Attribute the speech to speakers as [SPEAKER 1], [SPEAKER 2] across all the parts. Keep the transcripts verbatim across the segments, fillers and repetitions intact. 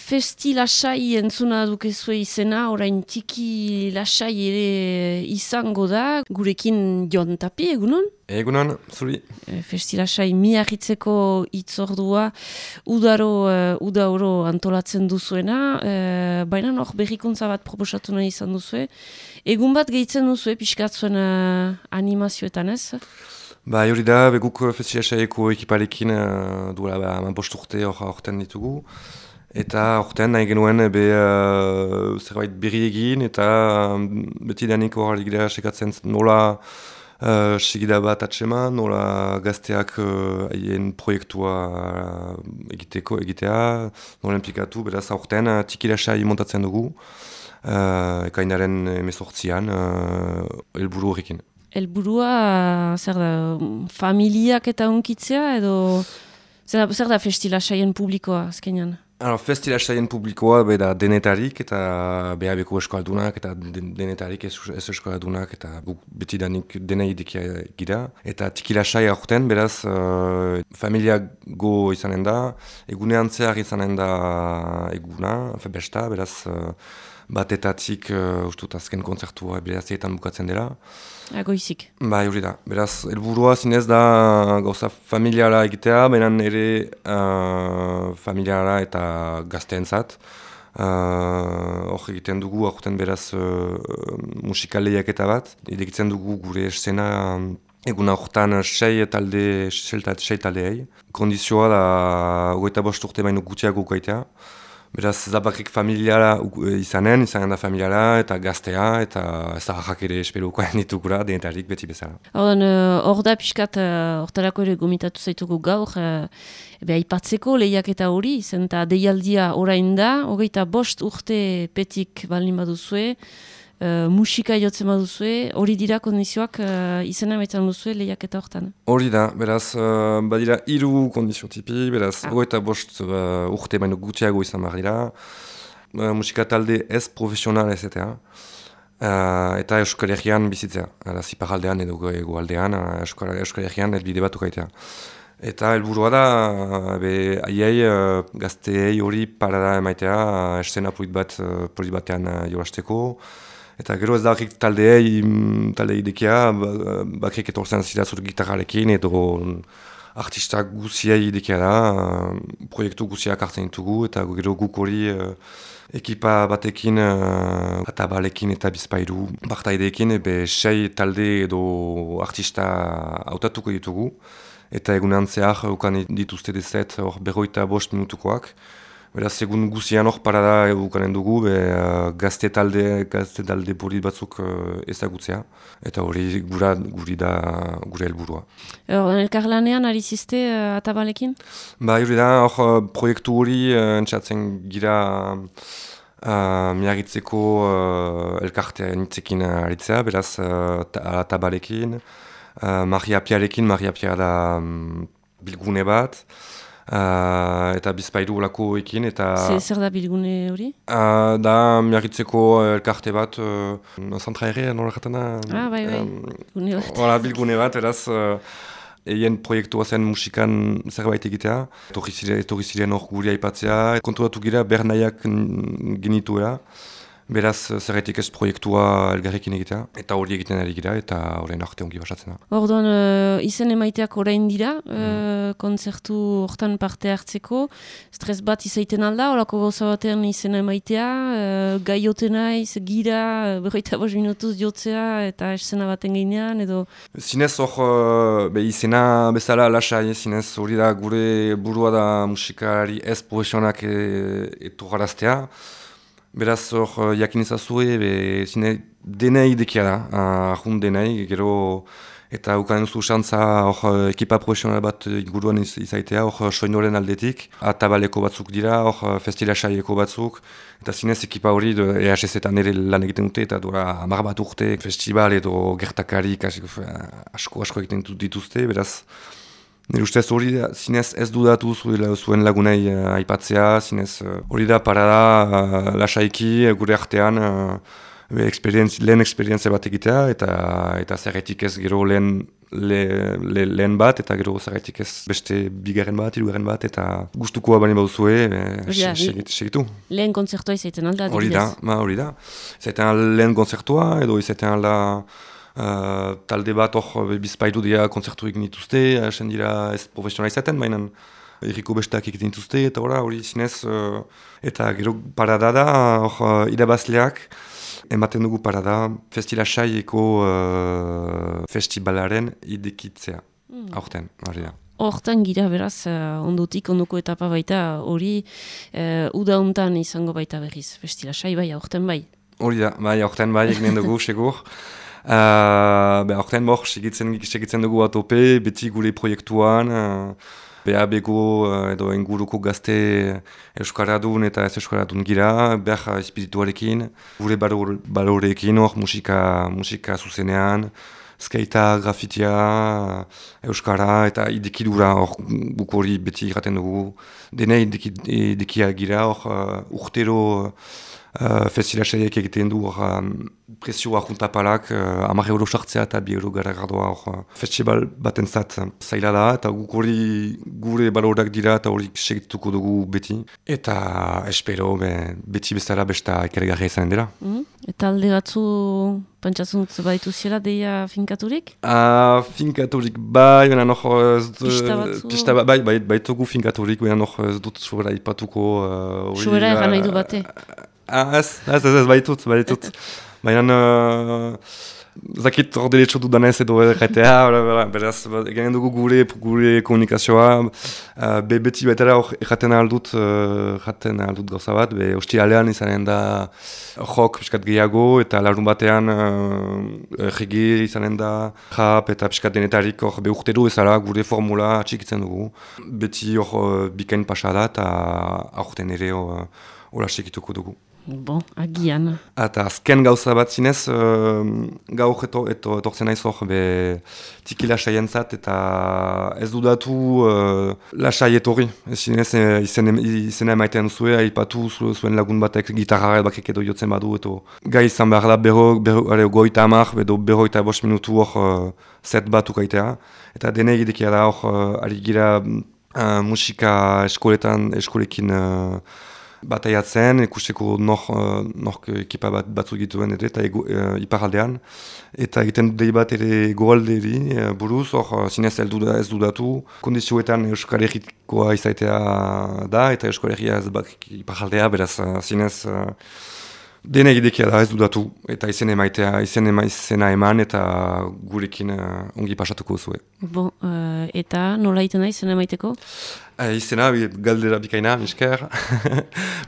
[SPEAKER 1] Festi lasai entzuna dukezue izena, orain tiki lasai ere izango da, gurekin Jon Tapi, egunon?
[SPEAKER 2] Egunon, zuri.
[SPEAKER 1] Festi lasai miarritzeko itzordua udaro, uh, udauro antolatzen duzuena, uh, baina hor berrikuntza bat proposatu nahi izan duzue. Egun bat gehitzen duzue, pixkat zuen uh, animazioetan ez?
[SPEAKER 2] Ba, hori da, beguk Festi lasaieko ekiparekin uh, duela ba, bost urte horten ditugu. Eta horten nahi genuen be, uh, zerbait berri egin eta um, beti danik hori gira sekatzen nola uh, segida bat atseman, nola gazteak haien uh, proiektua uh, egiteko egitea, nola implikatu, beraz horten uh, tiki lasai montatzen dugu, uh, ekainaren emezortzian, uh, helburu horrekin.
[SPEAKER 1] Helburua zer da, familiak eta unkitzea edo zer da, zer da Festi lasaien publikoa azkenean?
[SPEAKER 2] Alors, Festi lasaien publikoa be da denetarik eta behabeko eskaldunak eta denetarik ez, ez eskaldunak eta beti danik dena idikia gira. Eta tiki lasai aurten, beraz, uh, familia go izanen da, egunean zehar izanen da eguna, besta, beraz, uh, batetatik uh, ustut azken kontzertua berazietan bukatzen dela.
[SPEAKER 1] Agoizik.
[SPEAKER 2] Bai, hori da. Beraz, helburua zinez da gauza familiara egitea, benen ere uh, familiara eta gazteentzat. Hor uh, egiten dugu, aurten beraz uh, musikaleiak eta bat. Idekitzen dugu gure eszena um, egun aurten sei talde, sei taldeei. Kondizioa da hogeita bost urte baino gutiago ukaitea. Beraz, zabakrik familiara izanen, izanen da familiara, eta gaztea, eta zaharrak ere esperukoan ditugura, denetarik beti bezala.
[SPEAKER 1] Hor da pixkat, hortarako ere gomitatu zaitugu gaur, ebe aipatzeko lehiak eta hori, zen eta deialdia orain da, hogeita bost urte petik balin baduzue, Uh, musika jotzen baduzue, hori dira kondizioak uh, izena baitan duzue lehiak eta hortan? Hori
[SPEAKER 2] da, beraz, uh, badira hiru kondizio tipi, beraz, ah. Goeta bost uh, urte baino gutiago izan behar dira, uh, musika talde ez profesional ez eta, uh, eta Euskal Herrian bizitzea, ziparaldean edo egoaldean, uh, Euskal, Euskal Herrian elbide bat ukaitea. Eta helburua da, be, aiei uh, gazteei hori parada emaitea, uh, eszena polit bat, uh, polit batean uh, jolasteko. Eta gero ez da horrek taldeei, taldeei idekia, bakrik etorzen zira zure gitarrarekin edo artistak guziei idekia da, proiektu guziak hartzen ditugu eta gero guk hori uh, ekipa batekin, uh, atabalekin eta bizpairu partaideekin, ebe sei talde edo artista hautatuko ditugu. Eta egunean zehar ukan dituzte dezet hor berroita bost minutukoak. Beraz, egun guzian hor parada ukanen dugu, be, uh, gazte talde, gazte talde polit batzuk uh, ezagutzea. Eta hori gura, guri da gure helburua.
[SPEAKER 1] Hor, elkarlanean ari ziste uh, atabalekin?
[SPEAKER 2] Ba, hori da, hor uh, proiektu hori uh, entzatzen gira uh, miarritzeko uh, elkartea nitzekin aritzea, beraz, uh, atabalekin. Uh, Maria Piarekin, Maria Pia da um, bilgune bat. Uh, eta bizpairu olako ekin, eta...
[SPEAKER 1] Zer da bilgune hori?
[SPEAKER 2] Uh, da miarritzeko elkarte bat, uh, zantra ere, nola jaten da?
[SPEAKER 1] Ah, bai, bai, bilgune bat.
[SPEAKER 2] Hola, bilgune bat, eraz, uh, eien proiektua zen musikan zerbait egitea. Etorri ziren hor guri aipatzea, konturatu gira bernaiak genituela. Beraz, zerretik ez proiektua elgarrekin egitea, eta hori egiten ari gira, eta horrein arte ongi basatzen da.
[SPEAKER 1] Orduan, uh, izen emaiteak orain dira, mm. uh, kontzertu hortan parte hartzeko, stres bat izaiten alda, horako gauza batean izena emaitea, uh, gaioten naiz, gira, berroita bost minutuz jotzea, eta esena baten gainean, edo...
[SPEAKER 2] Zinez hor, uh, be, izena bezala lasai, zinez hori da gure burua da musikari ez profesionak etorraraztea. Beraz, hor, jakin ezazue, zine, denei dekia da, ahun denei, gero, eta ukanen zu xantza, hor, ekipa profesional bat inguruan izaitea, hor, soinoren aldetik, atabaleko batzuk dira, hor, Festi lasaieko batzuk, eta zinez ekipa hori, E H Z-etan ere lan egiten dute, eta dura, hamar bat urte, festival edo gertakarik, asko, asko egiten dituzte, beraz, nire ustez hori da, zinez ez dudatu zuen lagunei uh, aipatzea, zinez hori uh, da parada uh, lasaiki uh, gure artean uh, be, experienz, lehen esperientzia bat egitea, eta, eta zerretik ez gero lehen, le, le, lehen bat, eta gero zerretik ez beste bigarren bat, hirugarren bat, eta gustukoa bani baduzue,
[SPEAKER 1] ja,
[SPEAKER 2] segitu.
[SPEAKER 1] Lehen konzertua izaiten alda,
[SPEAKER 2] hori da, ma hori da. Izaiten lehen konzertua, edo izaiten alda uh, talde bat hor bizpailu dira konzerturik nituzte, esen dira ez profesionala izaten, baina erriko bestak egiten dituzte, eta hori, hori zinez, uh, eta gero parada da, hor uh, irabazleak, ematen dugu parada, Festila Saieko uh, festivalaren idekitzea, mm. aurten, hori da.
[SPEAKER 1] Hortan gira beraz, uh, ondotik, ondoko etapa baita, hori uh, uda hontan izango baita berriz, Festila Sai bai, aurten bai.
[SPEAKER 2] Hori da, bai, aurten bai, eginen dugu, segur. Uh, be, aurten bor, segitzen, segitzen dugu atope, beti gure proiektuan, uh, B A B-ko uh, edo inguruko gazte euskaradun eta ez euskaradun gira, behar espirituarekin, gure baloreekin hor musika, musika zuzenean, skatea, grafitia, euskara eta idekidura hor guk hori beti iraten dugu. Dene idekia gira hor uh, urtero uh, Festila Saiek egiten du hor um, presioa juntapalak, uh, hamar euro sartzea eta bi euro gara gardoa hor uh, festival batentzat zaila da, eta guk hori gure balorak dira eta hori segituko dugu beti. Eta espero be, beti bezala besta ekargarria izan dela.
[SPEAKER 1] Mm. Eta alde batzu pentsatzen dut baditu zela deia finkaturik?
[SPEAKER 2] Uh, finkaturik bai, baina noch ez dut...
[SPEAKER 1] Pista batzu?
[SPEAKER 2] Pista bai, bai, baitugu finkaturik, baina noch ez dut sobera ipatuko... Uh,
[SPEAKER 1] sobera egan nahi du bate?
[SPEAKER 2] Uh, ez, ez, ez, ez, baitut, baitut. Baina, uh, zakit hor deletxo dudanez edo erretea, beraz, egenen dugu gure, gure komunikazioa, uh, be beti baitera hor erraten aldut, uh, erraten aldut gauza bat, be hostilalean izanen da jok piskat gehiago, eta larun batean uh, rege izanen da rap eta piskat denetarik hor be urtero ezala gure formula atxikitzen dugu. Beti hor uh, bikain pasada eta aurten ere hor uh, sekituko dugu.
[SPEAKER 1] Bon, agian.
[SPEAKER 2] Eta azken gauza bat zinez, uh, gaur eto, eto, etortzen naiz hor, be tiki lasai entzat, eta ez dudatu uh, lasai etorri. Ez zinez, izena izen emaiten zuen, aipatu zuen lagun batek gitarra bakek edo jotzen badu, eto gai izan behar da berro, berro, goita amak, edo berroita bost minutu hor uh, set bat ukaitea. Eta dene egidekia da hor, uh, ari gira uh, musika eskoletan, eskolekin uh, bataiatzen, ikusteko nor, nor ekipa bat batzuk dituen ere, eta e, iparaldean. Eta egiten dut bat ere goalderi buruz, hor zinez ez dudatu. Kondizioetan Euskal Herrikoa izaitea da, eta Euskal Herria ez bak iparaldea, beraz zinez dene egidekia da ez dudatu. Eta izen emaitea, izen ema, izena eman, eta gurekin uh, ongi pasatuko zuen.
[SPEAKER 1] Bon, uh, eta nola iten da izena emaiteko?
[SPEAKER 2] Uh, izena, galdera bikaina, misker.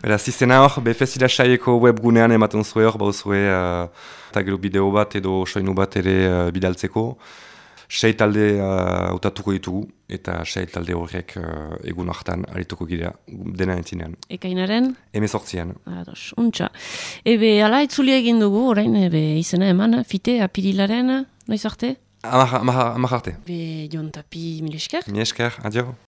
[SPEAKER 2] Beraz, izena hor, be Festila Saieko webgunean ematen zuen hor, bau zuen, uh, eta gero bideo bat edo soinu bat ere uh, bidaltzeko. Sei talde hautatuko uh, ditugu, eta sei talde horrek uh, egun hartan arituko gira dena entzinean.
[SPEAKER 1] Ekainaren?
[SPEAKER 2] Hemezortzian.
[SPEAKER 1] Ados, untxa. Ebe, ala etzulia egin dugu, orain, ebe, izena eman, fite, apirilaren, noiz arte?
[SPEAKER 2] Amar arte.
[SPEAKER 1] Be, Jon Tapi, mil esker?
[SPEAKER 2] Mil esker, adio.